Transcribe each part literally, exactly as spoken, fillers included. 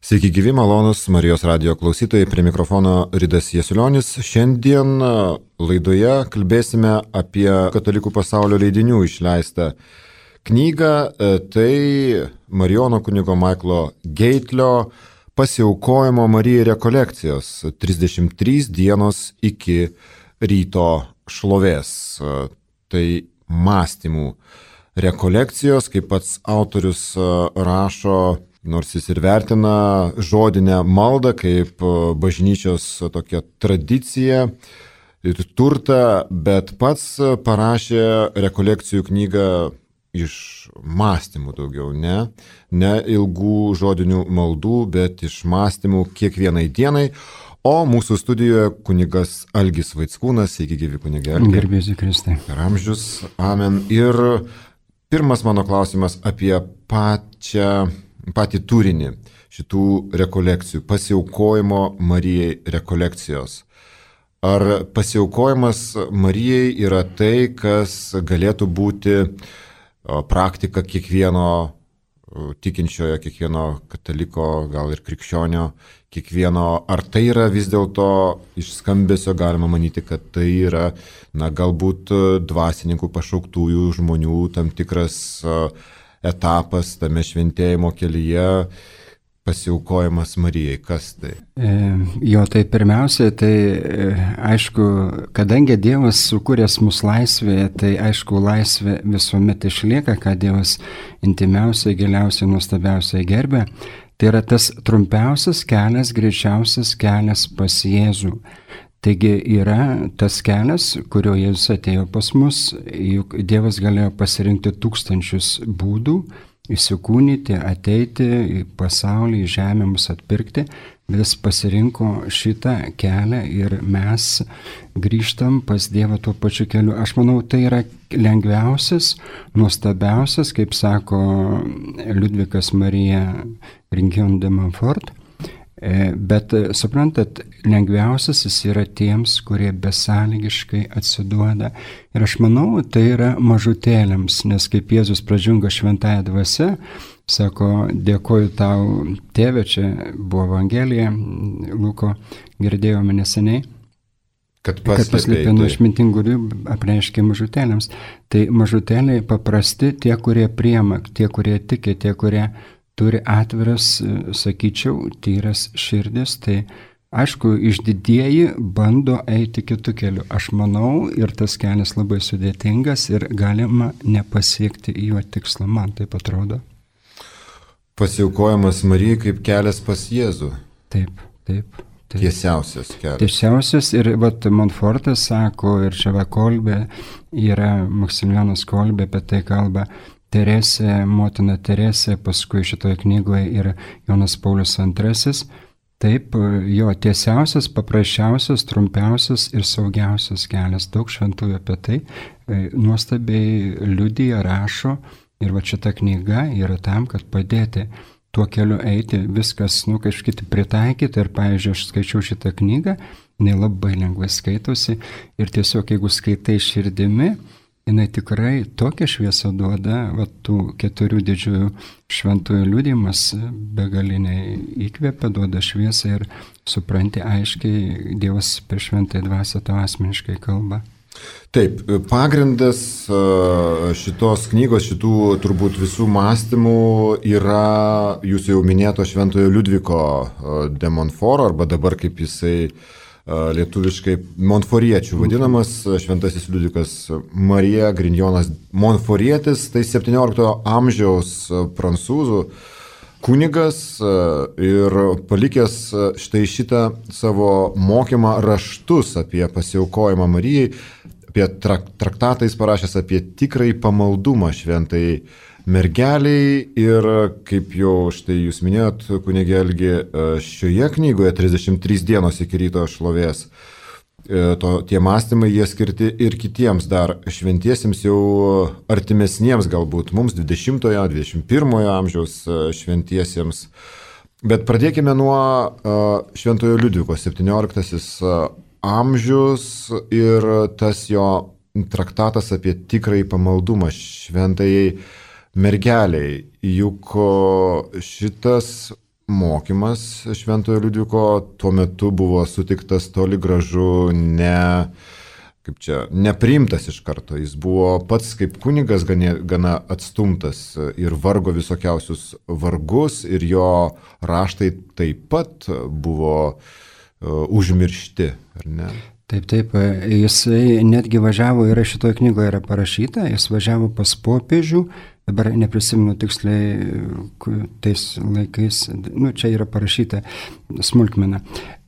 Sveiki gyvi, malonus Marijos radijo klausytojai, prie mikrofono Ridas Jasiulionis. Šiandien laidoje kalbėsime apie katalikų pasaulio leidinių išleistą knygą. Tai Marijono kunigo Maiklo Geitlio Pasiaukojimo Marijai rekolekcijos trisdešimt trys dienos iki ryto šlovės. Tai mąstymų rekolekcijos, kaip pats autorius rašo, nors jis ir vertina žodinę maldą kaip bažnyčios tokią tradiciją ir turtą, bet pats parašė rekolekcijų knygą iš mąstymų daugiau, ne, ne ilgų žodinių maldų, bet iš mąstymų kiekvienai dienai. O mūsų studijoje kunigas Algis Vaickūnas, sveiki gyvi kunige Algi. Garbėsiu Kristai. Per amžius, amen. Ir pirmas mano klausimas apie pačią patį turinį šitų rekolekcijų, pasiaukojimo Marijai rekolekcijos. Ar pasiaukojimas Marijai yra tai, kas galėtų būti praktika kiekvieno tikinčiojo, kiekvieno kataliko, gal ir krikščionio, kiekvieno, ar tai yra vis dėlto iš skambesio galima manyti, kad tai yra, na, galbūt dvasininkų pašauktųjų žmonių tam tikras etapas tame šventėjimo kelyje, pasiaukojimas Marijai. Kas tai? E, jo, tai pirmiausia, tai e, aišku, kadangi Dievas sukūręs mus laisvėje, tai aišku, laisvė visuomet išlieka, ką Dievas intimiausiai, giliausiai, nuostabiausiai gerbė. Tai yra tas trumpiausias kelias, greičiausias kelias pas Jėzų. Taigi yra tas kelias, kurio Jėzus atėjo pas mus, juk Dievas galėjo pasirinkti tūkstančius būdų, įsikūnyti, ateiti į pasaulį, į žemę mus atpirkti, vis pasirinko šitą kelią ir mes grįžtam pas Dievą tuo pačiu keliu. Aš manau, tai yra lengviausias, nuostabiausias, kaip sako Liudvikas Marija Ringion de Montfort. Bet, suprantat, lengviausias jis yra tiems, kurie besąlygiškai atsiduoda. Ir aš manau, tai yra mažutėliams, nes kaip Jėzus pradžiunga šventąja dvasia, sako, dėkoju tau, tėve, čia buvo Evangelija, Luko girdėjome neseniai, kad paslėpė nuo išmintingų ribų, apreiškė mažutėliams. Tai mažutėliai paprasti, tie, kurie priima, tie, kurie tiki, tie, kurie turi atviras, sakyčiau, tyras širdis, tai aišku, išdidieji bando eiti kitų kelių. Aš manau, ir tas kelias labai sudėtingas ir galima nepasiekti jo tikslą, man taip atrodo. Pasiaukojimas Marijai kaip kelias pas Jėzų. Taip, taip. taip. Tiesiausias kelias. Tiesiausias ir vat Montfortas sako, ir čia va Kolbė, yra Maksimilianas Kolbė apie tai kalba, Teresė, motina Teresė, paskui šitoje knygoje yra Jonas Paulius antrasis. Taip, jo tiesiausias, paprasčiausias, trumpiausias ir saugiausias kelias. Daug šventųjų apie tai nuostabiai liudija, rašo ir va šita knyga yra tam, kad padėti tuo keliu eiti, viskas, nu, kažkaip pritaikyti. Ir, pavyzdžiui, aš skaičiau šitą knygą, jinai labai lengvai skaitosi ir tiesiog, jeigu skaitai širdimi, jinai tikrai tokią šviesą duoda, va, tų keturių didžiųjų šventųjų liudijimas begaliniai įkvepia, duoda šviesą ir supranti aiškiai, Dievas per šventąją dvasią tau asmeniškai kalba. Taip, pagrindas šitos knygos, šitų turbūt visų mąstymų yra jūsų jau minėto šventojo Liudviko de Montfort, arba dabar kaip jisai lietuviškai Montforiečių vadinamas, šventasis Liudvikas Marija Grigionas Montforietis, tai septynioliktojo amžiaus prancūzų kunigas ir palikęs štai šitą savo mokymą raštus apie pasiaukojimą Marijai, apie traktatais parašęs apie tikrąjį pamaldumą šventai mergeliai. Ir kaip jau štai jūs minėjot, kunige Algi, šioje knygoje trisdešimt trys dienos iki ryto šlovės, to, tie mąstymai jie skirti ir kitiems dar šventiesiems, jau artimesniems galbūt mums, dvidešimtojo, dvidešimt pirmojo amžiaus šventiesiems. Bet pradėkime nuo šventojo Liudviko, septynioliktasis amžius ir tas jo traktatas apie tikrąjį pamaldumą šventajai mergeliai. Juk šitas mokymas Šventojo Liudviko tuo metu buvo sutiktas toli gražu ne, kaip čia, nepriimtas iš karto. Jis buvo pats kaip kunigas gana, gana atstumtas ir vargo visokiausius vargus ir jo raštai taip pat buvo uh, užmiršti, ar ne? Taip, taip, jisai netgi važiavo, yra šitoje knygoje yra parašyta, jis važiavo pas popiežių, dabar neprisimenu tiksliai tais laikais, nu čia yra parašyta smulkmena.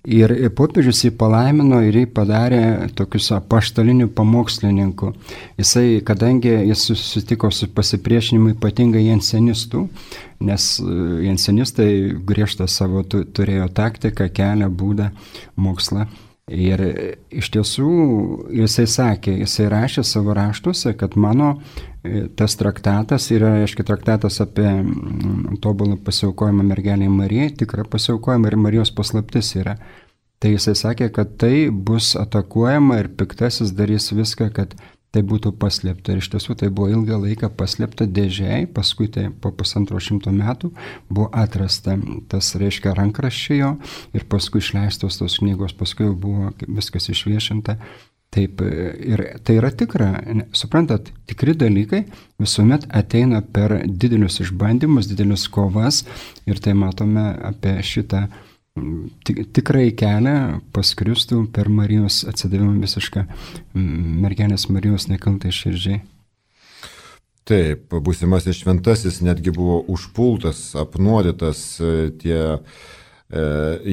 Ir popiežius jį palaimino ir jį padarė tokius apaštalinių pamokslininkų. Jisai, kadangi jis susitiko su pasipriešinimu ypatingai jansenistų, nes jansenistai griežtą savo turėjo taktiką, kelią, būdą, mokslą. Ir iš tiesų jisai sakė, jisai rašė savo raštuose, kad mano tas traktatas yra, aiškiai, traktatas apie tobulą pasiaukojimą mergelei Marijai, tikrą pasiaukojimą ir Marijos paslaptis yra. Tai jisai sakė, kad tai bus atakuojama ir piktasis darys viską, kad tai būtų paslėpta. Ir iš tiesų tai buvo ilgą laiką paslėpta dėžėje, paskui tai po pusantro šimto metų buvo atrasta tas, reiškia, rankraščio ir paskui išleistos tos knygos, paskui buvo viskas išviešinta. Taip, ir tai yra tikra, suprantat, tikri dalykai visuomet ateina per didelius išbandymus, didelius kovas ir tai matome apie šitą tikrai kelią pas Kristų per Marijos atsidavimą visišką mergelės Marijos nekaltai širdžiai. Taip, būsimasis šventasis netgi buvo užpultas, apnuodytas, tie e,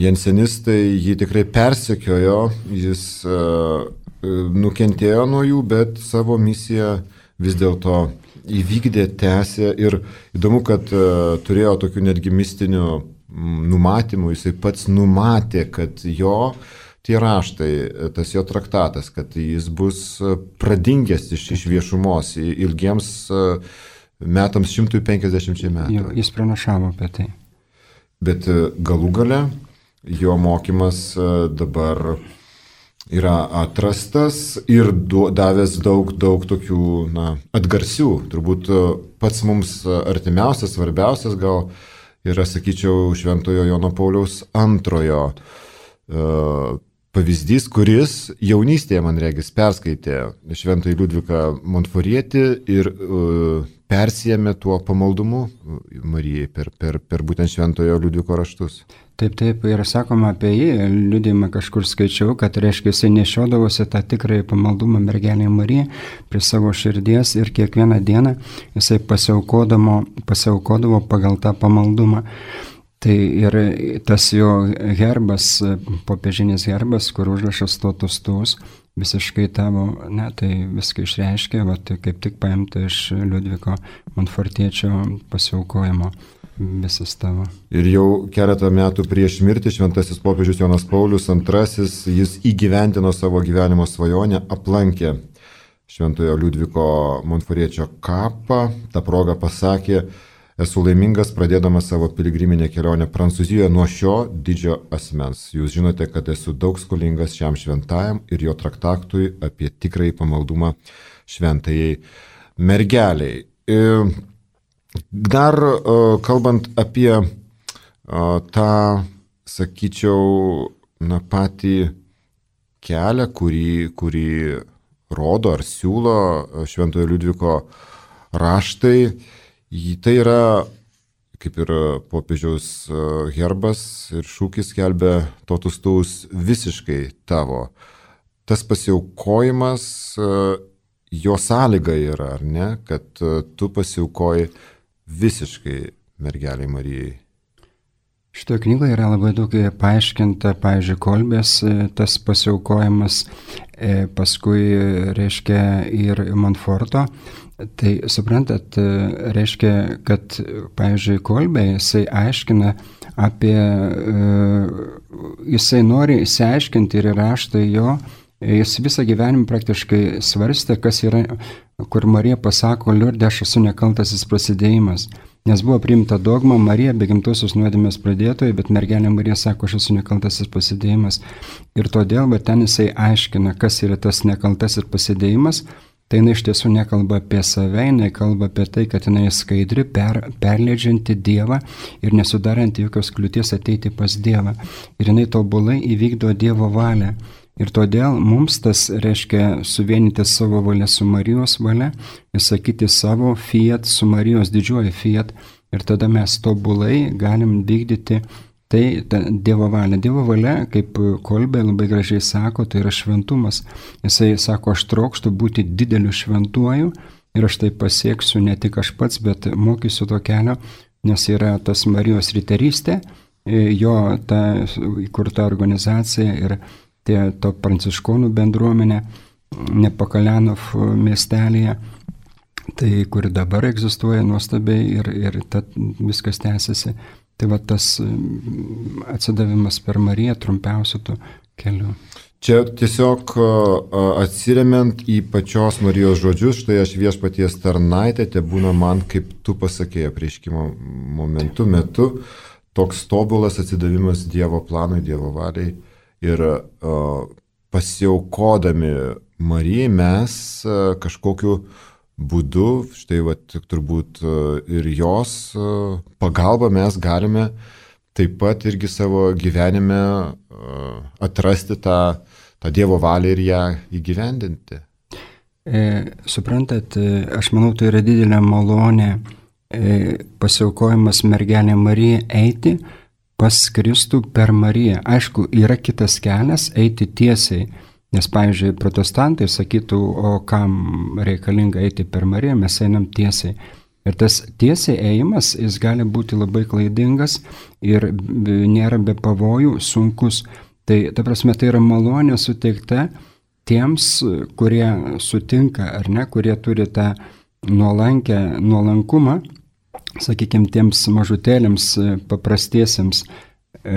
jansenistai jį tikrai persekiojo, jis e, nukentėjo nuo jų, bet savo misiją vis dėlto įvykdė, tęsė ir įdomu, kad e, turėjo tokių netgi mistinių numatymų, jisai pats numatė, kad jo tie raštai, tas jo traktatas, kad jis bus pradingęs iš, iš viešumos ilgiems metams šimtui penkiasdešimčiai metų. Jo, jis pranašavo apie tai. Bet galų gale jo mokymas dabar yra atrastas ir davęs daug, daug tokių na, atgarsių. Turbūt pats mums artimiausias, svarbiausias gal yra, sakyčiau, Šventojo Jono Pauliaus antrojo uh, pavyzdys, kuris jaunystėje, man regis, perskaitė Šventąjį Liudviką Montforietį ir uh, persijėmė tuo pamaldumu Marijai per, per, per būtent Šventojo Liudviko raštus. Taip, taip, ir sakoma apie jį, liudijimą kažkur skaičiau, kad reiškia jisai nešiodavosi tą tikrąjį pamaldumą mergelei Marijai prie savo širdies ir kiekvieną dieną jisai pasiaukodavo, pasiaukodavo pagal tą pamaldumą. Tai ir tas jo herbas, popiežinis herbas, kur užrašas totus tus, visiškai tavo, ne, tai viską išreiškia, va, tai kaip tik paimta iš Liudviko Montfortiečio pasiaukojimo. Visas tavo. Ir jau keletą metų prieš mirtį šventasis popiežius Jonas Paulius antrasis, jis įgyvendino savo gyvenimo svajonę, aplankė Šventojo Liudviko Montforiečio kapą, tą progą pasakė, esu laimingas pradėdamas savo piligriminę kelionę Prancūzijoje nuo šio didžio asmens. Jūs žinote, kad esu daug skolingas šiam šventajam ir jo traktatui apie tikrąjį pamaldumą šventajai mergeliai. Ir dar uh, kalbant apie uh, tą, sakyčiau, na, patį kelią, kurį, kurį rodo ar siūlo Šventojo Liudviko raštai, tai yra, kaip ir popiežiaus herbas ir šūkis skelbia totus tus visiškai tavo. Tas pasiaukojimas, jo sąlyga yra, ar ne, kad tu pasiaukoji visiškai mergeliai Marijai. Šitoje knygoje yra labai daug paaiškinta, pavyzdžiui, Kolbės tas pasiaukojimas, paskui reiškia ir Montforto. Tai suprantat, reiškia, kad, pavyzdžiui, Kolbė, jisai aiškina apie, jisai nori įsiaiškinti ir raštai jo, jis visą gyvenimą praktiškai svarstė, kas yra, kur Marija pasako, Liurde, aš esu nekaltasis prasidėjimas. Nes buvo priimta dogma, Marija be gimtosios nuodėmės pradėtoja, bet mergelė Marija sako, aš esu nekaltasis prasidėjimas. Ir todėl, bet ten jisai aiškina, kas yra tas nekaltasis prasidėjimas. tai jinai iš tiesų nekalba apie save, jinai kalba apie tai, kad jinai skaidri, per, perleidžianti Dievą ir nesudaranti jokios kliūties ateiti pas Dievą. Ir jinai tobulai įvykdo Dievo valią. Ir todėl mums tas reiškia suvienyti savo valią su Marijos valia ir sakyti savo fiat su Marijos didžiuoju fiat. Ir tada mes tobulai galim vykdyti tai Dievo valia. Dievo valia, kaip Kolbė labai gražiai sako, tai yra šventumas. Jisai sako, aš trokštu būti dideliu šventuoju ir aš tai pasieksiu ne tik aš pats, bet mokysiu to kelio, nes yra tas Marijos riterystė, jo ta įkurta organizacija ir tie to pranciškonų bendruomenė Nepakalenov miestelėje, tai kuri dabar egzistuoja nuostabiai ir, ir tad viskas tęsiasi. Tai va tas atsidavimas per Mariją trumpiausiu tų kelių. Čia tiesiog atsiremiant į pačios Marijos žodžius, štai aš viešpaties tarnaitė, te būna man, kaip tu pasakėjai apreiškimo momentu, metu, toks tobulas atsidavimas Dievo planui, Dievo valiai. Ir uh, pasiaukodami Marijai mes uh, kažkokiu būdu, štai va, turbūt uh, ir jos uh, pagalba mes galime taip pat irgi savo gyvenime uh, atrasti tą, tą Dievo valią ir ją įgyvendinti. E, suprantat, aš manau, tai yra didelė malonė e, pasiaukojimas mergelė Marija eiti pas Kristų per Mariją. Aišku, yra kitas kelias eiti tiesiai, nes, pavyzdžiui, protestantai sakytų, o kam reikalinga eiti per Mariją, mes einam tiesiai. Ir tas tiesiai ėjimas, jis gali būti labai klaidingas ir nėra be pavojų, sunkus. Tai, ta prasme, tai yra malonė suteikta tiems, kurie sutinka, ar ne, kurie turi tą nuolankę, nuolankumą, sakykime, tiems mažutėliams, paprastiesiems, e,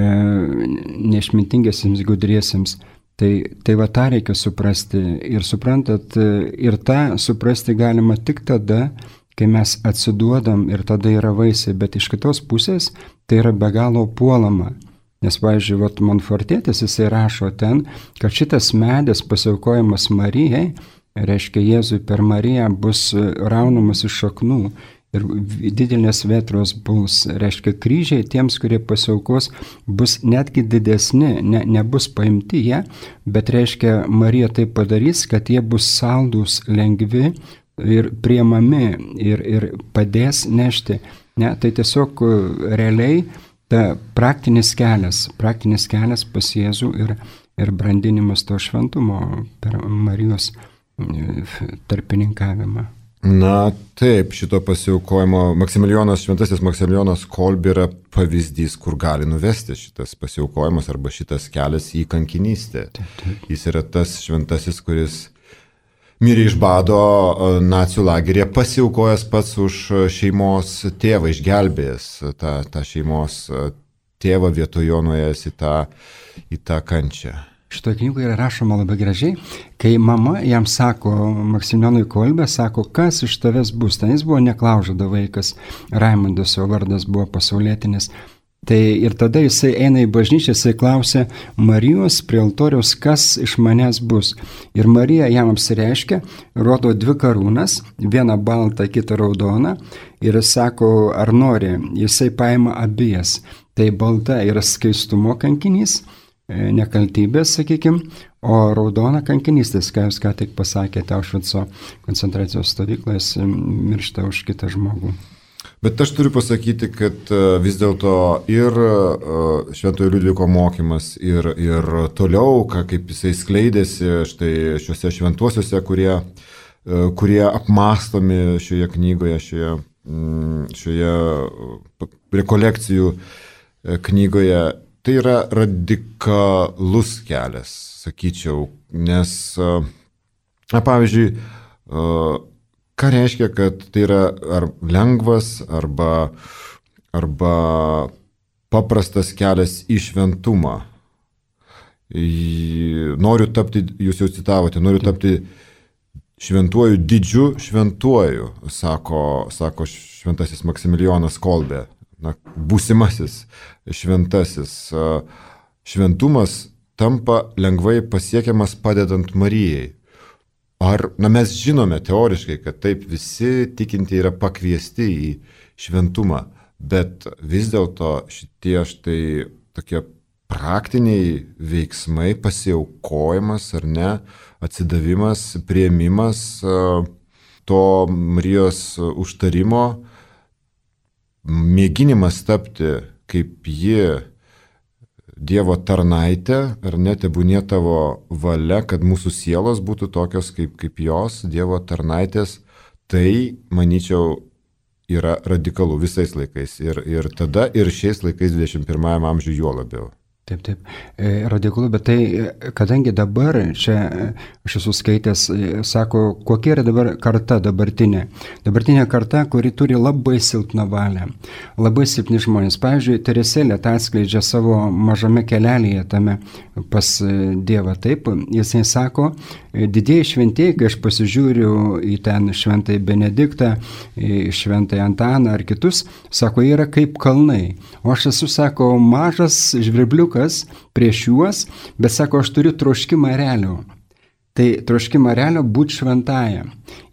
neišmintingiesiems, gudriesiems. Tai, tai va tą reikia suprasti. Ir suprantat, ir tą suprasti galima tik tada, kai mes atsiduodam ir tada yra vaisiai, bet iš kitos pusės tai yra be galo puolama. Nes, pavyzdžiui, vat Monfortėtis jisai rašo ten, kad šitas medis pasiaukojimas Marijai, reiškia Jėzui per Mariją, bus raunamas iš šaknų. Ir didelės vėtros bus, reiškia kryžiai tiems, kurie pasiaukos, bus netgi didesni, ne, nebus paimti jie, bet reiškia Marija tai padarys, kad jie bus saldūs, lengvi ir priemami ir, ir padės nešti. Ne, tai tiesiog realiai ta praktinis kelias, praktinis kelias pas Jėzų ir, ir brandinimas to šventumo per Marijos tarpininkavimą. Na taip, šito pasiaukojimo Maksimilijonas, šventasis Maksimilijonas Kolbė yra pavyzdys, kur gali nuvesti šitas pasiaukojimas arba šitas kelias į kankinystę. Taip, taip. Jis yra tas šventasis, kuris mirė iš bado nacių lageryje, pasiaukojęs pats už šeimos tėvą, išgelbėjęs tą, tą šeimos tėvą vietojo nuėjęs į tą, į tą kančią. Šitoje knygoje yra rašoma labai gražiai, kai mama jam sako, Maksimilijonui Kolbė, sako, kas iš tavęs bus. Ten jis buvo neklaužado vaikas, Raimundas, jo vardas buvo pasaulietinis. Tai ir tada jisai eina į bažnyčią, jisai klausia Marijos prie altoriaus, kas iš manęs bus. Ir Marija jam apsireiškia, rodo dvi karūnas, vieną baltą, kitą raudoną, ir jis sako, ar nori, jisai paima abijas. Tai balta yra skaistumo kankinys, nekaltybės, sakykime, o raudona kankinystės, ką jūs ką tik pasakėte, Aušvico koncentracijos stovykloje miršta už kitą žmogų. Bet aš turiu pasakyti, kad vis dėlto ir Šventojo Liudviko mokymas ir, ir toliau, kaip jisai skleidėsi štai šiuose šventuosiuose, kurie, kurie apmąstomi šioje knygoje, šioje, šioje rekolekcijų knygoje, tai yra radikalus kelias, sakyčiau, nes, na, pavyzdžiui, ką reiškia, kad tai yra ar lengvas, arba, arba paprastas kelias į šventumą. Noriu tapti, jūs jau citavote, noriu tapti šventuoju, didžiu šventuoju, sako, sako šventasis Maksimilijonas Kolbė. Na, būsimasis šventasis. Šventumas tampa lengvai pasiekiamas padedant Marijai. ar, na mes žinome teoriškai, kad taip visi tikinti yra pakviesti į šventumą, bet vis dėlto šitie štai tokie praktiniai veiksmai, pasiaukojimas ar ne, atsidavimas, priėmimas to Marijos užtarimo, mėginimas tapti kaip ji Dievo tarnaitė, ar ne, tebūnie tavo valia, kad mūsų sielos būtų tokios kaip, kaip jos, Dievo tarnaitės, tai, manyčiau, yra radikalu visais laikais. Ir, ir tada, ir šiais laikais dvidešimt pirmajame amžiuje juo labiau. Taip, taip, e, radikalu, bet tai, kadangi dabar, čia aš esu skaitęs, sako, kokia yra dabar karta dabartinė. Dabartinė karta, kuri turi labai silpną valią, labai silpni žmonės. Pavyzdžiui, Teresėlė tą atskleidžia savo mažame kelelėje tame pas Dievą. Taip, jisai sako, didieji šventieji, kai aš pasižiūriu į ten šventąjį Benediktą, į šventąjį Antaną ar kitus, sako, jie yra kaip kalnai. O aš esu, sako, mažas žvirbliukas prieš juos, bet sako, aš turiu troškimą realio. Tai troškimą realio būti šventąja.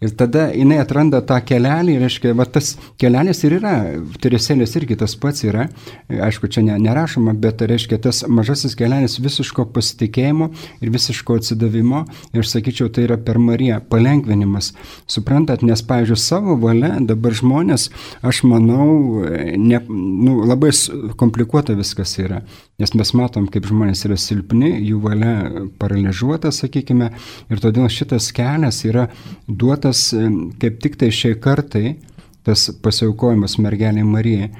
Ir tada jinai atranda tą kelelį, reiškia, va tas kelelis ir yra, Teresėlės irgi tas pats yra, aišku, čia ne, nerašoma, bet reiškia tas mažasis kelelis visiško pasitikėjimo ir visiško atsidavimo, ir aš sakyčiau, tai yra per Mariją palengvinimas. Suprantat, nes, pavyzdžiui, savo valia dabar žmonės, aš manau, ne, nu, labai komplikuota viskas yra, nes mes matom, kaip žmonės yra silpni, jų valia paralyžiuota, sakykime, ir todėl šitas kelias yra duotas kaip tik tai šiai kartai, tas pasiaukojimas mergelei Marijai,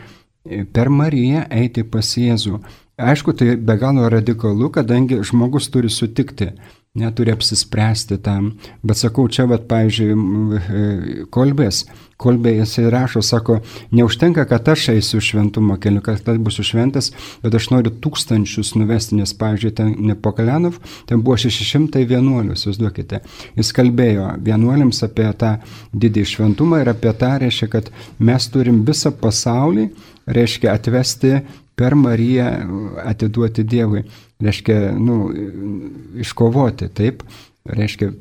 per Mariją eiti pas Jėzų. Aišku, tai be galo radikalu, kadangi žmogus turi sutikti, neturi apsispręsti tam, bet sakau, čia, vat, pavyzdžiui, Kolbės, Kolbė jisai rašo, sako, neužtenka, kad aš eisiu šventumo keliu, kad aš būsiu šventas, bet aš noriu tūkstančius nuvesti, nes, pavyzdžiui, ten Nepokalenov, ten buvo šeši šimtai vienuolių, įsivaizduokite. Jis kalbėjo vienuoliams apie tą didį šventumą ir apie tą, reiškia, kad mes turim visą pasaulį, reiškia, atvesti per Mariją, atiduoti Dievui, reiškia, nu, iškovoti, taip, reiškia,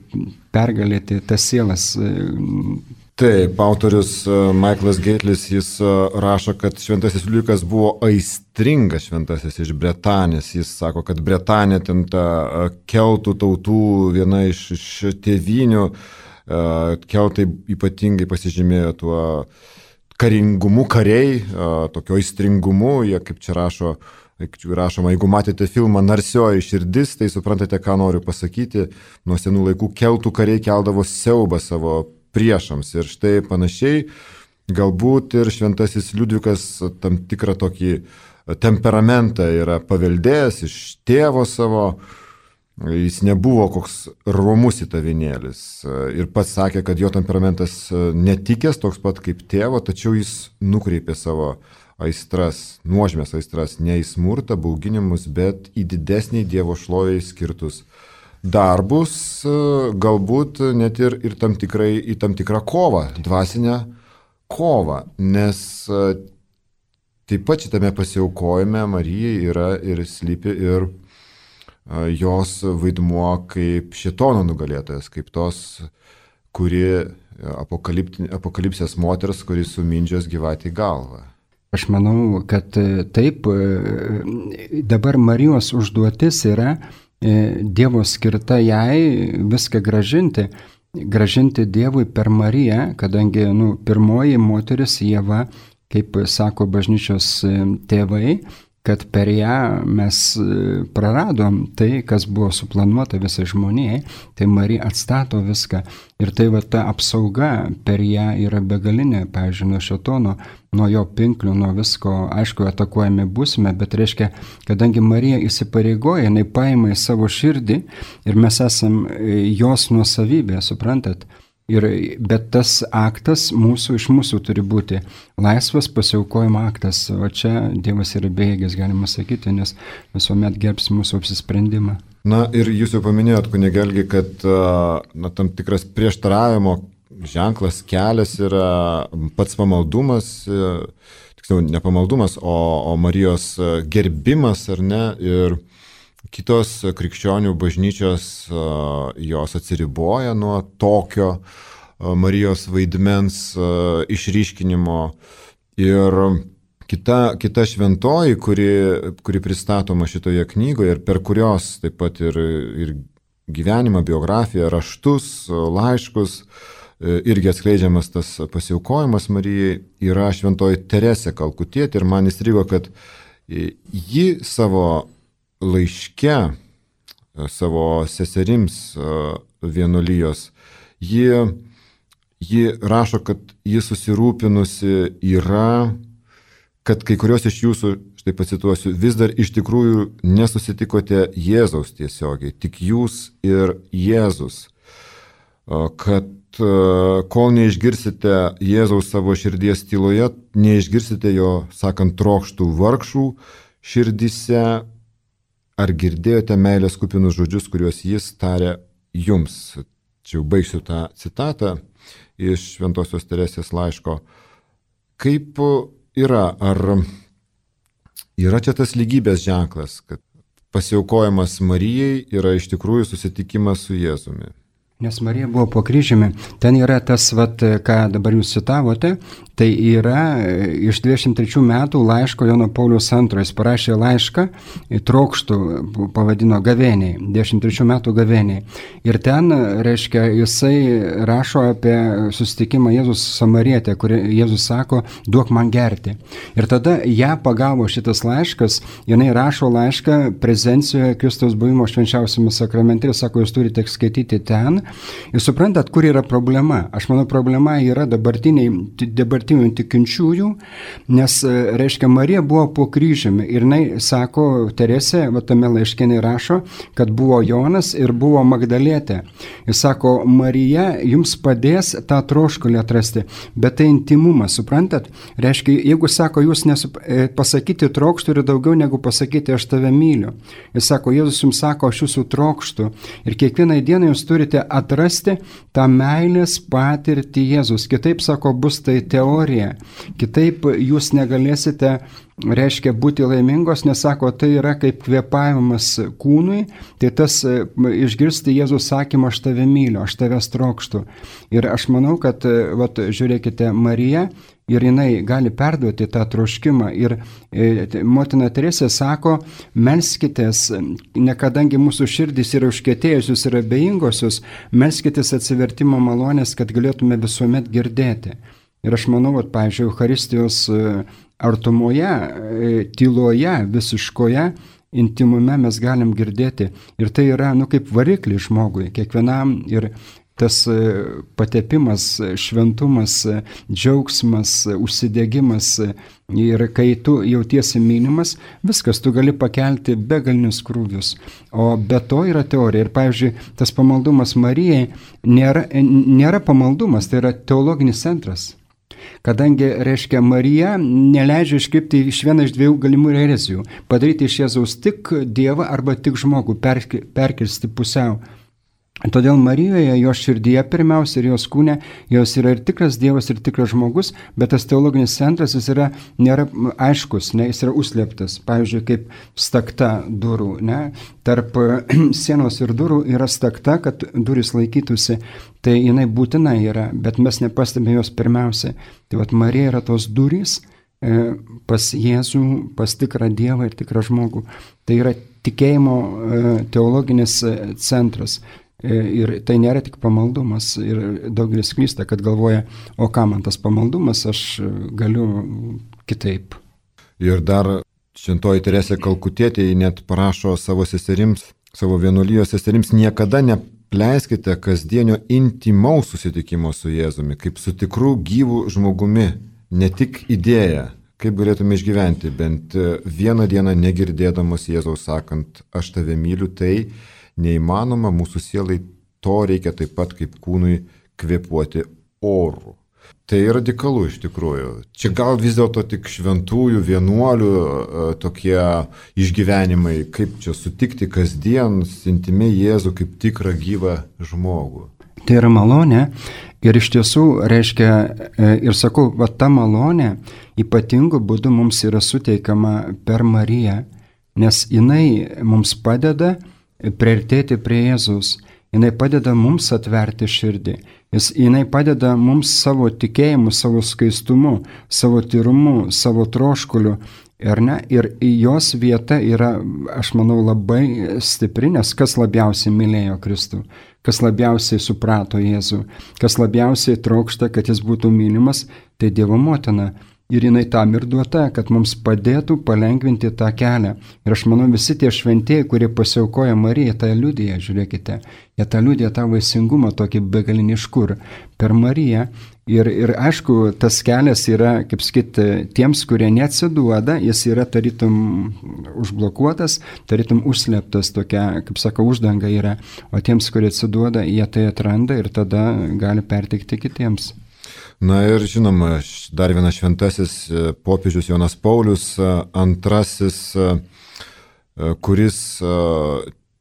pergalėti tas sielas. Taip, autorius Michaelas Geitlis, jis rašo, kad šventasis Liudvikas buvo aistringas šventasis iš Bretanės. Jis sako, kad Bretanė ten ta keltų tautų viena iš, iš tėvynių, keltai ypatingai pasižymėjo tuo karingumu, kariai, tokio aistringumu, jie kaip čia rašo, rašoma, jeigu matėte filmą Narsioji širdis, tai suprantate, ką noriu pasakyti, nuo senų laikų keltų kariai keldavo siaubą savo priešams ir štai panašiai, galbūt ir šventasis Liudvikas tam tikrą tokį temperamentą yra paveldėjęs iš tėvo savo, jis nebuvo koks romus įtavinėlis ir pats sakė, kad jo temperamentas netikęs toks pat kaip tėvo, tačiau jis nukreipė savo aistras, nuožmės aistras, ne į smurtą, bauginimus, bet į didesnį Dievo šloviai skirtus darbus, galbūt net ir, ir tam tikrai, į tam tikrą kovą, dvasinę kovą, nes taip pat šitame pasiaukojime Marijai yra ir slypi ir jos vaidmuo kaip šėtono nugalėtojas, kaip tos, kuri apokalipsės moters, kuri sumindžios gyvatį galvą. Aš manau, kad taip, dabar Marijos užduotis yra Dievo skirta jai viską gražinti, gražinti Dievui per Mariją, kadangi nu, pirmoji moteris Ieva, kaip sako bažnyčios tėvai, kad per ją mes praradom tai, kas buvo suplanuota visai žmonijai, tai Marija atstato viską. Ir tai va ta apsauga per ją yra begalinė, pavyzdžiui, nuo šėtono, nuo jo pinklių, nuo visko, aišku, atakuojami būsime, bet reiškia, kadangi Marija įsipareigoja, jinai paima į savo širdį ir mes esam jos nuosavybė, suprantat? Ir, bet tas aktas mūsų, iš mūsų turi būti laisvas pasiaukojimo aktas, o čia Dievas yra bejėgis, galima sakyti, nes visuomet gerbs mūsų apsisprendimą. Na ir jūs jau paminėjot, kunige Algi, kad na, tam tikras prieštaravimo ženklas, kelias yra pats pamaldumas, tiksliau ne pamaldumas, o, o Marijos gerbimas, ar ne, ir kitos krikščionių bažnyčios jos atsiriboja nuo tokio Marijos vaidmens išryškinimo. Ir kita, kita šventoji, kuri, kuri pristatoma šitoje knygoje ir per kurios taip pat ir, ir gyvenimą, biografiją, raštus, laiškus, irgi atskleidžiamas tas pasiaukojimas Marijai, yra šventoji Teresė Kalkutietė. Ir man įstrigo, kad ji savo laiške, savo seserims vienuolijos, ji, ji rašo, kad ji susirūpinusi yra, kad kai kurios iš jūsų, štai pacituosiu, vis dar iš tikrųjų nesusitikote Jėzaus tiesiogiai, tik jūs ir Jėzus, kad kol neišgirsite Jėzaus savo širdies tyloje, neišgirsite jo, sakant, trokštų vargšų širdise, ar girdėjote meilės kupinus žodžius, kuriuos jis tarė jums. Čia jau baigsiu tą citatą iš Šventosios Teresės laiško. Kaip yra, ar yra čia tas lygybės ženklas, kad pasiaukojimas Marijai yra iš tikrųjų susitikimas su Jėzumi? Nes Marija buvo po kryžiumi. Ten yra tas, vat, ką dabar jūs citavote, tai yra iš dvidešimt trečių metų laiško Jono Pauliaus antrojo. Jis parašė laišką, trokštų, pavadino gavėniai, dvidešimt trečių metų gavėniai. Ir ten, reiškia, jisai rašo apie susitikimą Jėzus Samarietė, kur Jėzus sako, duok man gerti. Ir tada ją pagavo šitas laiškas, jinai rašo laišką prezencijoje Kristaus buvimo švenčiausiame sakramente ir sako, jūs turite skaityti ten. Ir suprantat, kur yra problema? Aš manau, problema yra dabartinių tikinčiųjų, nes, reiškia, Marija buvo po kryžiumi ir jinai sako, Teresė, va tame laiške rašo, kad buvo Jonas ir buvo Magdalietė. Jis sako, Marija jums padės tą troškulį atrasti, bet tai intimumas, suprantat? Reiškia, jeigu sako, jūs nesup... pasakyti trokštų yra daugiau negu pasakyti aš tave myliu. Jis sako, Jėzus jums sako, aš jūsų trokštų ir kiekvieną dieną jūs turite atrasti tą meilės patirtį Jėzus. Kitaip, sako, bus tai teorija. Kitaip jūs negalėsite, reiškia, būti laimingos, nes, sako, tai yra kaip kvėpavimas kūnui, tai tas išgirsti Jėzus sakymą, aš tave myliu, aš tavęs trokštu. Ir aš manau, kad, vat, žiūrėkite, Marija, ir jinai gali perduoti tą troškimą. Ir e, motina Teresė sako, melskitės, nekadangi mūsų širdys yra užkietėjusios ir abejingosios, melskitės atsivertimo malonės, kad galėtume visuomet girdėti. Ir aš manau, kad, pavyzdžiui, Eucharistijos artumoje, tyloje, visiškoje, intimume mes galim girdėti. Ir tai yra, nu, kaip variklis žmogui, kiekvienam. Ir tas patepimas, šventumas, džiaugsmas, užsidegimas ir kai tu jautiesi mylimas, viskas, tu gali pakelti begalinius krūvius. O be to yra teorija. Ir, pavyzdžiui, tas pamaldumas Marijai nėra, nėra pamaldumas, tai yra teologinis centras. Kadangi, reiškia, Marija neleidžia iškrypti iš vieną iš dviejų galimų erezijų. Padaryti iš Jėzaus tik Dievą arba tik žmogų, perkirsti pusiau. Todėl Marijoje, jos širdyje pirmiausia ir jos kūne, jos yra ir tikras Dievas, ir tikras žmogus, bet tas teologinis centras jis yra, nėra aiškus, ne, jis yra užslėptas. Pavyzdžiui, kaip stakta durų. Ne? Tarp sienos ir durų yra stakta, kad durys laikytųsi, tai jinai būtina yra, bet mes nepastebėjome jos pirmiausia. Tai vat Marija yra tos durys e, pas Jėzų, pas tikrą Dievą ir tikrą žmogų. Tai yra tikėjimo e, teologinis centras. Ir tai nėra tik pamaldumas. Ir daugelis klysta, kad galvoja, o ką man tas pamaldumas, aš galiu kitaip. Ir dar šventoji Teresė Kalkutietė net parašo savo seserims, savo vienuolijos seserims, niekada neapleiskite kasdienio intimaus susitikimo su Jėzumi, kaip su tikru gyvu žmogumi, ne tik idėja. Kaip galėtume išgyventi bent vieną dieną negirdėdamos Jėzaus sakant, aš tave myliu, tai neįmanoma, mūsų sielai to reikia taip pat kaip kūnui kvėpuoti oru. Tai radikalu iš tikrųjų. Čia gal vis dėlto tik šventųjų, vienuolių tokie išgyvenimai, kaip čia sutikti kasdien intimiai Jėzų kaip tikrą gyvą žmogų. Tai yra malonė ir iš tiesų reiškia, ir sakau, va ta malonė ypatingu būdu mums yra suteikiama per Mariją. nes jinai mums padeda priartėti prie Jėzus. Jinai padeda mums atverti širdį. Jis, jinai padeda mums savo tikėjimu, savo skaistumu, savo tyrumu, savo troškuliu. Ir, ne, ir jos vieta yra, aš manau, labai stipri, nes kas labiausiai mylėjo Kristų, kas labiausiai suprato Jėzų, kas labiausiai trokšta, kad jis būtų mylimas, tai Dievo motina. Ir jinai tam ir duota, kad mums padėtų palengvinti tą kelią. Ir aš manau, visi tie šventieji, kurie pasiaukoja Mariją, tą liudija, žiūrėkite, jie tą liudija tą vaisingumą, tokį begaliniškur per Mariją. Ir, ir aišku, tas kelias yra, kaip sakyti, tiems, kurie neatsiduoda, jis yra tarytum užblokuotas, tarytum užslėptas, tokia, kaip sako, uždanga yra. O tiems, kurie atsiduoda, jie tai atranda ir tada gali perteikti kitiems. Na ir žinoma, dar vienas šventasis popiežius Jonas Paulius antrasis, kuris,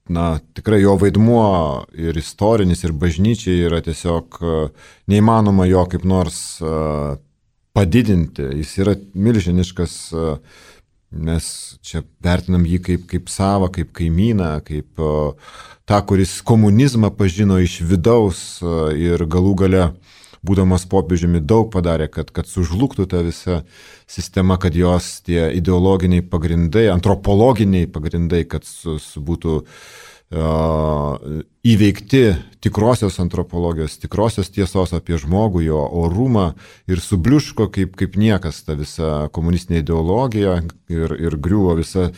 na, tikrai jo vaidmuo ir istorinis, ir bažnyčiai yra tiesiog neįmanoma jo kaip nors padidinti. Jis yra milžiniškas, mes čia vertinam jį kaip, kaip savą, kaip kaimyną, kaip tą, kuris komunizmą pažino iš vidaus ir galų gale būdamas popiežiumi daug padarė, kad, kad sužlugtų ta visa sistema, kad jos tie ideologiniai pagrindai, antropologiniai pagrindai, kad su, su būtų uh, įveikti tikrosios antropologijos, tikrosios tiesos apie žmogų, jo orumą ir subliuško kaip, kaip niekas ta visa komunistinė ideologija ir, ir griuvo visa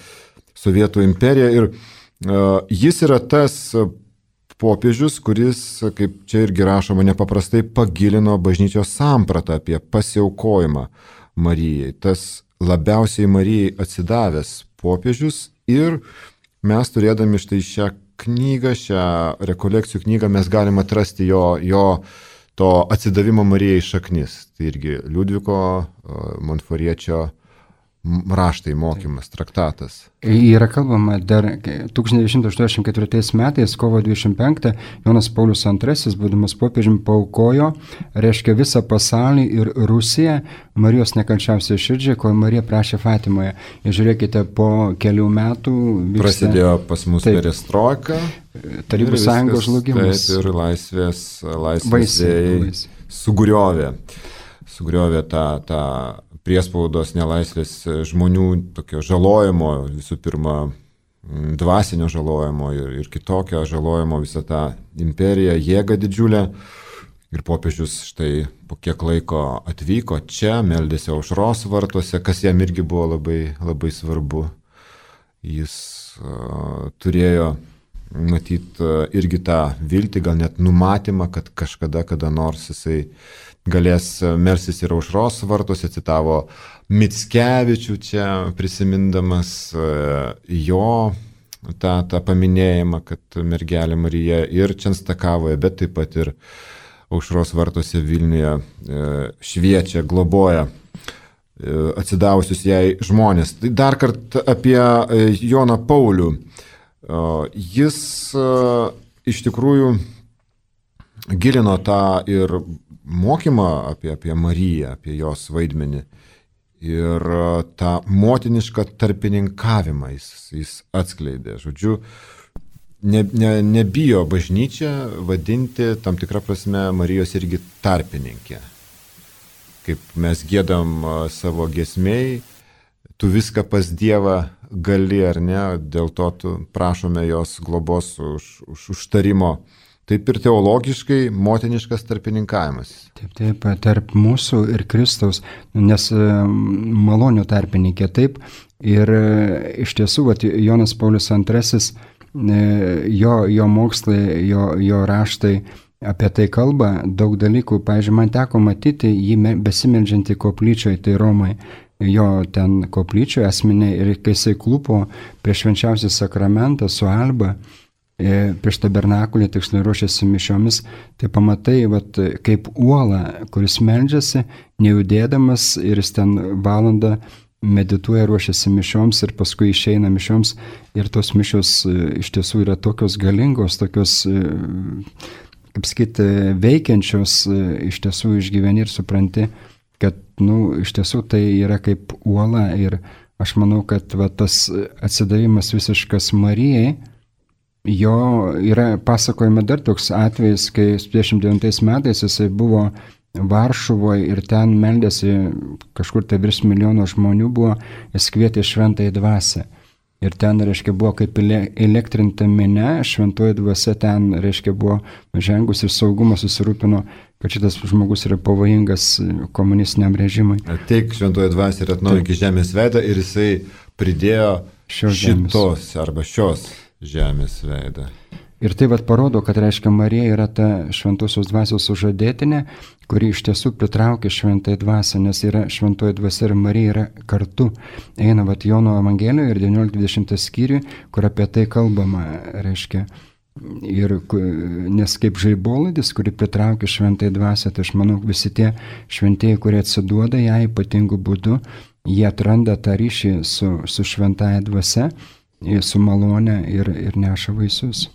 Sovietų imperija. Ir uh, jis yra tas popiežius, kuris, kaip čia irgi rašoma, nepaprastai pagilino bažnyčios sampratą apie pasiaukojimą Marijai. Tas labiausiai Marijai atsidavęs popiežius ir mes turėdami štai šią knygą, šią rekolekcijų knygą, mes galime atrasti jo, jo to atsidavimo Marijai šaknis. Tai irgi Liudviko Montforiečio raštai, mokymas, traktatas. Yra kalbama dar tūkstantis devyni šimtai aštuoniasdešimt ketvirtais metais, kovo dvidešimt penktą, Jonas Paulius antrasis, būdamas popiežiumi, paaukojo, reiškia visą pasaulį ir Rusiją Marijos nekalčiausiai širdžiai, ko Marija prašė Fatimoje. Ir žiūrėkite, po kelių metų vyksta, prasidėjo pas mus perestroika, Tarybų sąjungos žlugimas. Taip, ir laisvės, laisvės vėjai sugriovė, sugriovė tą, tą priespaudos nelaisvės žmonių tokio žalojimo, visų pirma, dvasinio žalojimo ir, ir kitokio žalojimo visą tą imperiją, jėgą didžiulę. Ir popiežius štai po kiek laiko atvyko čia, meldėsi Aušros vartuose, kas jam irgi buvo labai, labai svarbu. Jis uh, turėjo matyti uh, irgi tą viltį, gal net numatymą, kad kažkada, kada nors jisai galės melstis ir Aušros vartuose, citavo Mickevičių čia prisimindamas jo tą, tą paminėjimą, kad mergelė Marija ir Čenstakavoje, bet taip pat ir Aušros vartuose Vilniuje šviečia, globoja atsidavusius jai žmonės. Tai dar kartą apie Joną Paulių. Jis iš tikrųjų gilino tą ir mokymą apie, apie Mariją, apie jos vaidmenį ir tą motinišką tarpininkavimą jis, jis atskleidė. Žodžiu, ne, ne, nebijo bažnyčia vadinti tam tikrą prasme Marijos irgi tarpininkė. Kaip mes giedam savo giesmėj, tu viską pas Dievą gali ar ne, dėl to tu prašome jos globos už, už užtarimo. Taip ir teologiškai motiniškas tarpininkavimas. Taip, taip, tarp mūsų ir Kristaus, nes malonių tarpininkė taip. Ir iš tiesų, vat, Jonas Paulius antrasis, jo, jo mokslai, jo, jo raštai apie tai kalba, daug dalykų. Pavyzdžiui, man teko matyti jį besimeldžiantį koplyčioje, tai Romai. Jo ten koplyčioje asmeniai ir kai jisai klupo prieš švenčiausią sakramentą su Alba, prieš tabernakulį, tiksliai ruošiasi mišiomis, tai pamatai, vat, kaip uola, kuris meldžiasi, nejudėdamas ir jis ten valandą medituoja, ruošiasi mišioms ir paskui išeina mišioms ir tos mišios iš tiesų yra tokios galingos, tokios, kaip sakyti, veikiančios, iš tiesų išgyveni ir supranti, kad, nu, iš tiesų tai yra kaip uola ir aš manau, kad va, tas atsidavimas visiškas Marijai, jo yra pasakojama dar toks atvejis, kai dvidešimt devintais metais jisai buvo Varšuvoje ir ten meldėsi, kažkur tai virš milijono žmonių buvo, jis kvietė šventąją dvasią. Ir ten, reiškia, buvo kaip elektrinta minia, šventoji dvasia ten, reiškia, buvo žengus ir saugumo susirūpino, kad šitas žmogus yra pavojingas komunistiniam režimui. Ateik šventoji dvasia ir atnaujink žemės veidą ir jisai pridėjo šios šitos arba šios žemės veidą. Ir tai vat parodo, kad, reiškia, Marija yra ta šventosios dvasios sužadėtinė, kuri iš tiesų pritraukia šventąją dvasią, nes yra šventoji dvasia ir Marija yra kartu. Eina vat Jono Evangelijoje ir devynioliktą dvidešimtą skyrių, kur apie tai kalbama, reiškia. Ir, nes kaip žaibolaidis, kuri pritraukia šventąją dvasią, tai aš manau, visi tie šventieji, kurie atsiduoda ją ypatingų būdų, jie atranda tą ryšį su, su šventąja dvasia, su malone ir, ir neša vaisius.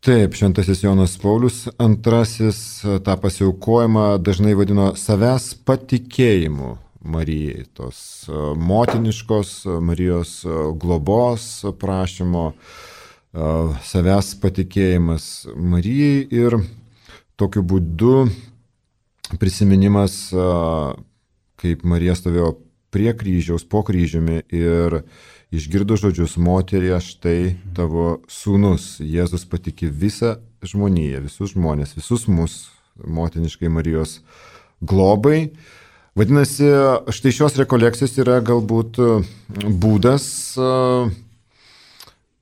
Taip, šventasis Jonas Paulius antrasis tą pasiaukojimą dažnai vadino savęs patikėjimu Marijai, tos motiniškos Marijos globos prašymo, savęs patikėjimas Marijai ir tokiu būdu prisiminimas, kaip Marija stovėjo prie kryžiaus, po kryžiumi ir išgirdo žodžius, moterie, štai tavo sūnus. Jėzus patikė visą žmoniją, visus žmonės, visus mus, motiniškai Marijos globai. Vadinasi, štai šios rekolekcijos yra galbūt būdas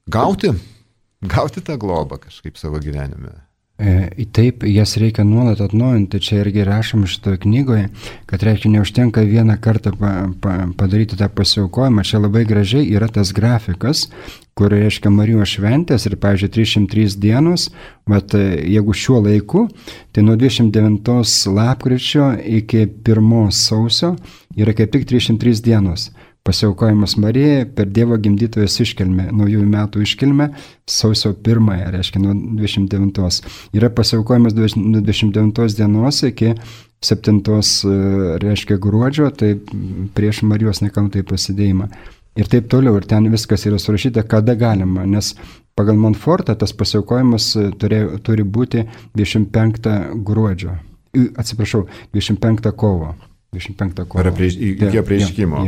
gauti, gauti tą globą kažkaip savo gyvenime. E, taip, jas reikia nuolat atnaujinti, čia irgi rašom šitoje knygoje, kad reikia neužtenka vieną kartą pa, pa, padaryti tą pasiaukojimą, čia labai gražiai yra tas grafikas, kur reiškia Marijos šventės ir, pavyzdžiui, trisdešimt trys dienos, bet jeigu šiuo laiku, tai nuo dvidešimt devintos lapkričio iki pirmos sausio yra kaip tik trisdešimt trys dienos. Pasiaukojimas Marijai per Dievo gimdytojos iškilmę, naujųjų metų iškilmę, sausio pirmąją, reiškia nuo dvidešimt devintos. Yra pasiaukojimas nuo dvidešimt devintos dienos iki septintos, reiškia, gruodžio, tai prieš Marijos nekaltąjį prasidėjimą. Ir taip toliau, ir ten viskas yra surašyta, kada galima, nes pagal Montfortą tas pasiaukojimas turi, turi būti dvidešimt penktą gruodžio, atsiprašau, dvidešimt penktą kovo. dvidešimt penktą kovo. Ar prieš, iki prieškimo.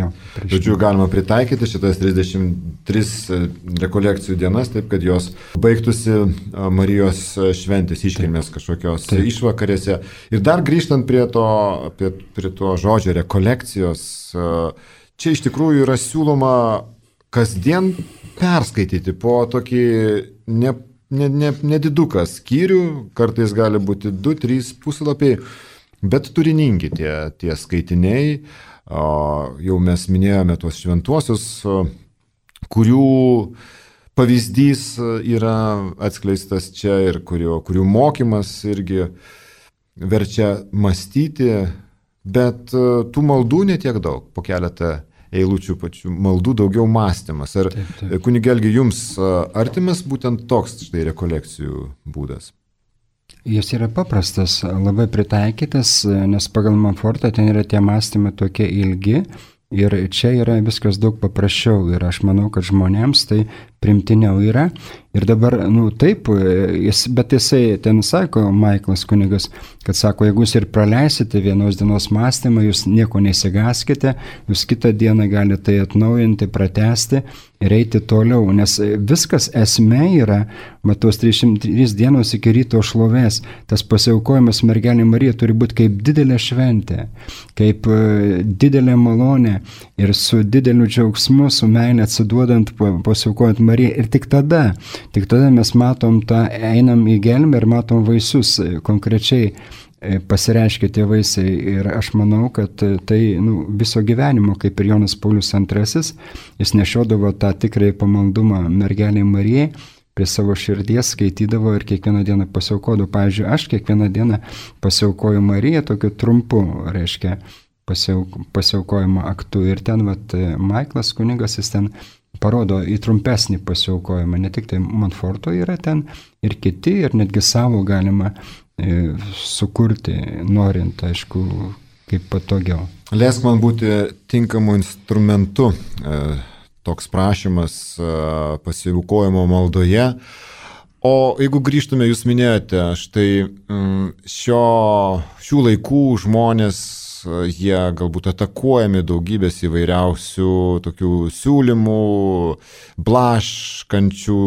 Žodžiu, galima pritaikyti šitas trisdešimt tris rekolekcijų dienas, taip kad jos baigtųsi Marijos šventės iškilmės kažkokios taip. Išvakarėse. Ir dar grįžtant prie to, prie, prie to žodžio rekolekcijos, čia iš tikrųjų yra siūloma kasdien perskaityti po tokį ne, ne, ne, nediduką skyrių, kartais gali būti du trys puslapiai, bet turiningi tie, tie skaitiniai, jau mes minėjome tuos šventuosius, kurių pavyzdys yra atskleistas čia ir kurio, kurių mokymas irgi verčia mąstyti, bet tų maldų netiek daug, po keletą eilučių pačių maldų daugiau mąstymas. Ar kunigelgi jums artimas būtent toks štai rekolekcijų būdas? Jis yra paprastas, labai pritaikytas, nes pagal Montfortą ten yra tie mąstymai tokie ilgi ir čia yra viskas daug paprasčiau ir aš manau, kad žmonėms tai primtiniau yra. Ir dabar, nu taip, jis, bet jisai ten sako, Maiklas kunigas, kad sako, jeigu jūs ir praleisite vienos dienos mąstymą, jūs nieko nesigaskite, jūs kitą dieną galite tai atnaujinti, pratesti ir eiti toliau, nes viskas esmė yra, matos trisdešimt trys dienos iki ryto šlovės, tas pasiaukojimas mergelė Marija turi būti kaip didelė šventė, kaip didelė malonė ir su dideliu džiaugsmu, su meilė atsiduodant, pasiaukojant Mariją ir tik tada, tik tada mes matom tą, einam į gelmę ir matom vaisius, konkrečiai pasireiškia tie vaisiai ir aš manau, kad tai nu, viso gyvenimo, kaip ir Jonas Paulius antrasis, jis nešiodavo tą tikrai pamaldumą mergelei Marijai, prie savo širdies skaitydavo ir kiekvieną dieną pasiaukodavo. Pavyzdžiui, aš kiekvieną dieną pasiaukoju Mariją tokiu trumpu, reiškia, pasiauk, pasiaukojimo aktu ir ten vat, Maiklas kunigas, jis ten parodo į trumpesnį pasiaukojimą, ne tik tai Montforto yra ten ir kiti, ir netgi savo galima e, sukurti, norint, aišku, kaip patogiau. Leisk man būti tinkamu instrumentu, toks prašymas pasiaukojimo maldoje. O jeigu grįžtume, jūs minėjote, štai šio, šių laikų žmonės, jie galbūt atakuojami daugybės įvairiausių tokių siūlymų, blaškančių,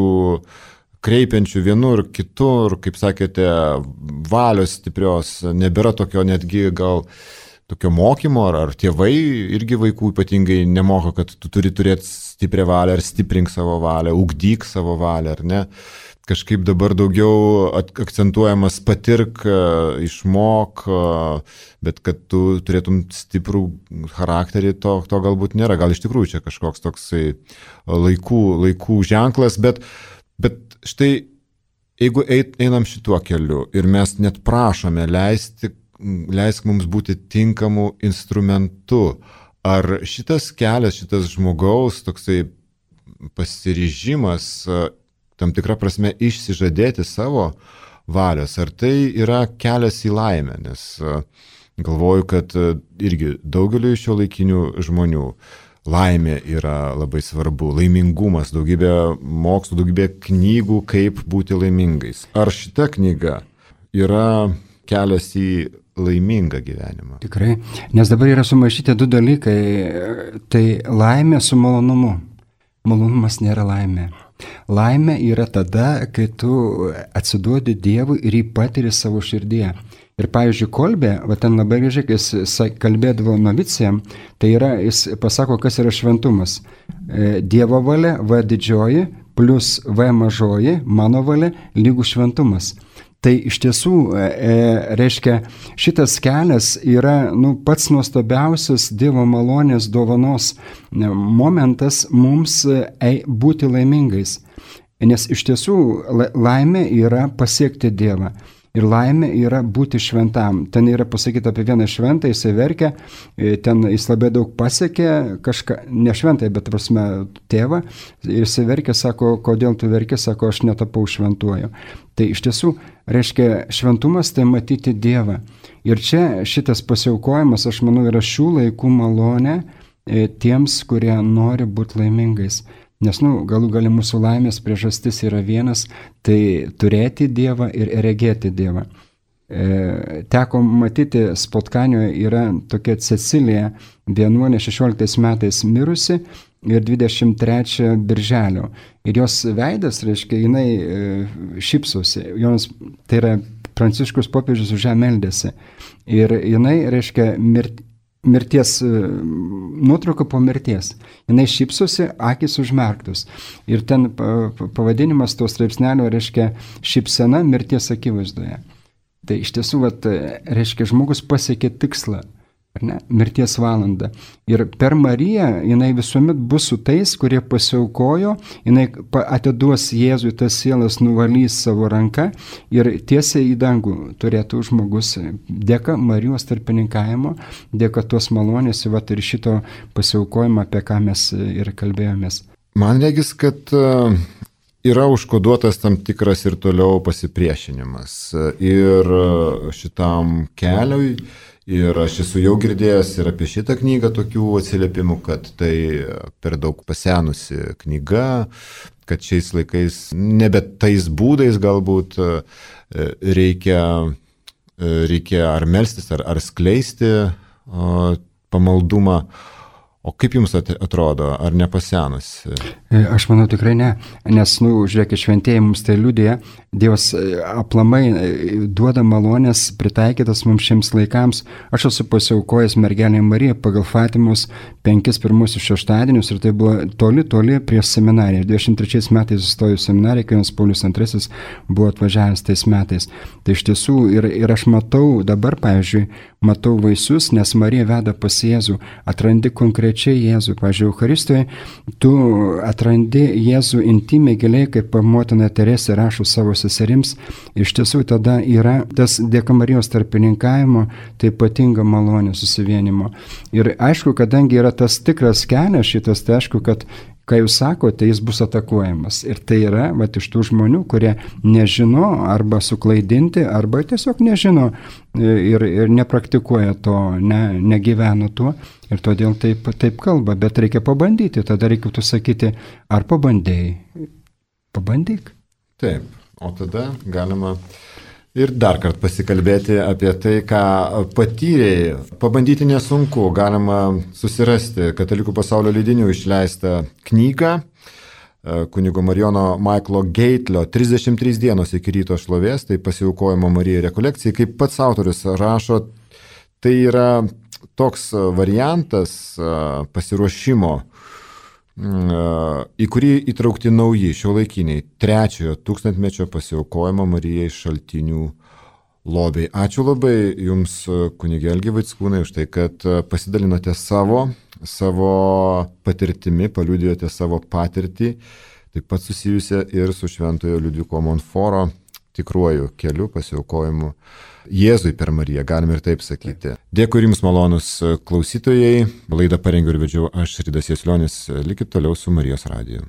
kreipiančių vienur, kitur, kaip sakėte, valios stiprios, nebėra tokio netgi gal tokio mokymo, ar, ar tėvai irgi vaikų ypatingai nemoko, kad tu turi turėti stiprią valią, ar stiprink savo valią, ugdyk savo valią, ar ne. Kažkaip dabar daugiau akcentuojamas patirk, išmok, bet kad tu turėtum stiprų charakterį, to, to galbūt nėra. Gal iš tikrųjų čia kažkoks toksai laikų, laikų ženklas, bet, bet štai jeigu einam šituo keliu ir mes net prašome leisti, leisk mums būti tinkamu instrumentu, ar šitas kelias, šitas žmogaus toksai pasiryžimas tam tikrą prasme išsižadėti savo valios, ar tai yra kelias į laimę, nes galvoju, kad irgi daugeliu šio laikinių žmonių laimė yra labai svarbu, laimingumas, daugybė mokslų, daugybė knygų, kaip būti laimingais. Ar šita knyga yra kelias į laimingą gyvenimą? Tikrai, nes dabar yra sumaišyti du dalykai, tai laimė su malonumu. Malonumas nėra laimė. Laimė yra tada, kai tu atsiduodi Dievui ir jį patiri savo širdyje. Ir pavyzdžiui, Kolbė, va ten labai gražiai, kai jis kalbėdavo novicijam, tai yra, jis pasako, kas yra šventumas. Dievo valia, V didžioji, plus V mažoji, mano valia, lygų šventumas. Tai iš tiesų, e, reiškia, šitas kelias yra nu, pats nuostabiausias Dievo malonės dovanos momentas mums e, būti laimingais. Nes iš tiesų laimė yra pasiekti Dievą. Ir laimė yra būti šventam. Ten yra pasakyta apie vieną šventą, jisai verkia, ten jis labai daug pasiekė, kažką, ne šventai, bet prasme tėvą, ir jisai verkia, sako, kodėl tu verki, sako, aš netapau šventuoju. Tai iš tiesų, reiškia, šventumas tai matyti Dievą. Ir čia šitas pasiaukojimas, aš manau, yra šių laikų malonė tiems, kurie nori būti laimingais. Nes, nu, galų gali mūsų laimės priežastis yra vienas, tai turėti Dievą ir regėti Dievą. E, teko matyti, Spotkanioje yra tokia Cecilija, vienuolė šešioliktais metais mirusi ir dvidešimt trečią birželio. Ir jos veidas, reiškia, jinai e, šypsosi. Jos, tai yra Pranciškus popiežius už ją meldėsi. Ir jinai, reiškia, mirti. Mirties, nuotrauka po mirties. Jinai šypsosi, akys užmerktos. Ir ten pavadinimas to straipsnelio reiškia šypsena mirties akivaizdoje. Tai iš tiesų, vat, reiškia, žmogus pasiekė tikslą, ar ne, mirties valandą. Ir per Mariją jinai visuomet bus su tais, kurie pasiaukojo, jinai atiduos Jėzui tas sielas, nuvalys savo ranką ir tiesiai į dangų turėtų žmogus dėka Marijos tarpininkavimo, dėka tos malonės, vat, ir šito pasiaukojimo, apie ką mes ir kalbėjomės. Man regis, kad yra užkoduotas tam tikras ir toliau pasipriešinimas ir šitam keliui. Ir aš esu jau girdėjęs ir apie šitą knygą tokių atsiliepimų, kad tai per daug pasenusi knyga, kad šiais laikais nebe tais būdais galbūt reikia, reikia ar melstis, ar, ar skleisti pamaldumą. O kaip jums atrodo, ar nepasenusi? Aš manau tikrai ne, nes, nu, žiūrėkit, šventieji mums tai liudija, Dievas aplamai duoda malonės pritaikytas mums šiems laikams. Aš esu pasiaukojęs mergelei Marijai pagal Fatimos penkis pirmusius šeštadienius ir tai buvo toli, toli prieš seminariją. dvidešimt trečiais metais įstojau seminariją, kai Jonas Paulius antrasis buvo atvažiavęs tais metais. Tai iš tiesų ir, ir aš matau dabar, pavyzdžiui, matau vaisius, nes Marija veda pas Jėzų, atrandi konkrečiai Jėzų. Pavyzdžiui, Eucharistijoje tu atrandi Jėzų intimiai giliai, kaip motina Teresė rašo savo seserims. Iš tiesų tada yra tas dėka Marijos tarpininkavimo, tai ypatinga malonė susivienimo. Ir aišku, kadangi yra tas tikras kelias šitas, tai aišku, kad ką jūs sakote, jis bus atakuojamas. Ir tai yra vat, iš tų žmonių, kurie nežino arba suklaidinti, arba tiesiog nežino ir, ir nepraktikuoja to, ne, negyvena tuo. Ir todėl taip, taip kalba, bet reikia pabandyti. Tada reikėtų sakyti, ar pabandėjai? Pabandyk. Taip, o tada galima ir dar kartą pasikalbėti apie tai, ką patyrėjai. Pabandyti nesunku, galima susirasti Katalikų pasaulio leidinių išleistą knygą kunigo Marijono Maiklo Geitlio trisdešimt trys dienos iki ryto šlovės, tai pasiaukojimo Marijai rekolekcijai. Kaip pats autorius rašo, tai yra toks variantas pasiruošimo, į kurį įtraukti nauji šiuolaikiniai trečiojo tūkstantmečio pasiaukojimo Marijai šaltinių lobiai. Ačiū labai Jums, kunige Algi Vaickūnai, už tai, kad pasidalinote savo, savo patirtimi, paliudijote savo patirtį, taip pat susijusią ir su šventojo Liudviko Monforo tikruoju keliu pasiaukojimu Jėzui per Mariją, galime ir taip sakyti. Dėkui Jums, malonus klausytojai. Laidą parengiau ir vedžiau aš, Ridas Jaslionis. Likit toliau su Marijos radiju.